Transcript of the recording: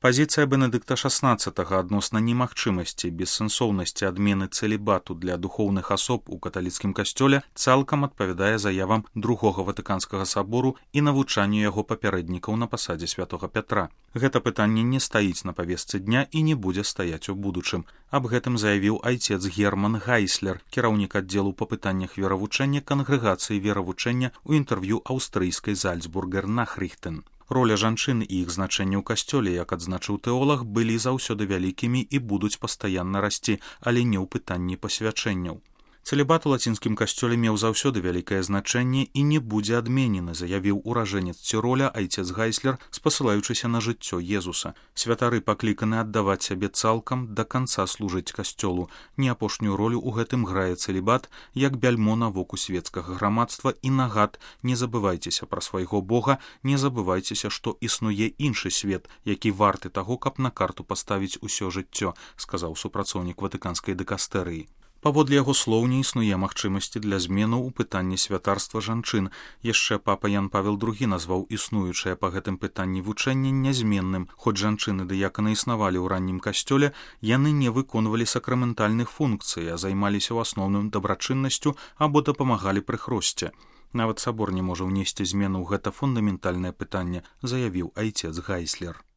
Пазіцыя Бенедыкта XVI адносна немагчымасці бессэнсоўнасці адмены цэлібату для духоўных асоб у каталіцкім касцёле цалкам адпавядае заявам Другога Ватыканскага сабору і навучанню яго папярэднікаў на пасадзе святога Пятра. Гэта пытанне не стаіць на павестцы дня і не будзе стаяць у будучым. Аб гэтым заявіў айцец Герман Гайслер, кіраўнік аддзелу па пытаннях веравучэння кангрэгацыі веравучэння ў інтэрв'ю аўстрыйскай Зальцбургер Нахрихтен. Роля жанчын і іх значэнне ў касцёле, як адзначыў тэолаг, былі заўсёды вялікімі і будуць пастаянна расці, але не ў пытанні пасвячэнняў. Цэлібат у лацінскім касцёле меў заўсёды вялікае значэнне і не будзе адменены, заявіў уражэнец Ціроля айцец Гайслер, спасылаючыся на жыццё Езуса. Святары пакліканы аддаваць сябе цалкам, да канца служыць касцёлу. Не апошнюю ролю ў гэтым грае цэлібат, як бяльмо на воку свецкага грамадства і нагад: не забывайцеся пра свайго Бога, не забывайцеся, што існуе іншы свет, які варты таго, каб на карту паставіць усё жыццё, сказаў супрацоўнік ватыканскай дыкастэрыі. Паводле яго слоў, не існуе магчымасці для зменаў у пытанні святарства жанчын. Яшчэ папа Ян Павел II назваў існуючае па гэтым пытанні вучэнне нязменным. Хоць жанчыны дыяканы існавалі ў раннім касцёле, яны не выконвалі сакраментальных функцый, а займаліся ў асноўным дабрачыннасцю або дапамагалі пры хросце. Нават сабор не можа ўнесці змену ў гэта фундаментальнае пытанне, заявіў айцец Гайслер.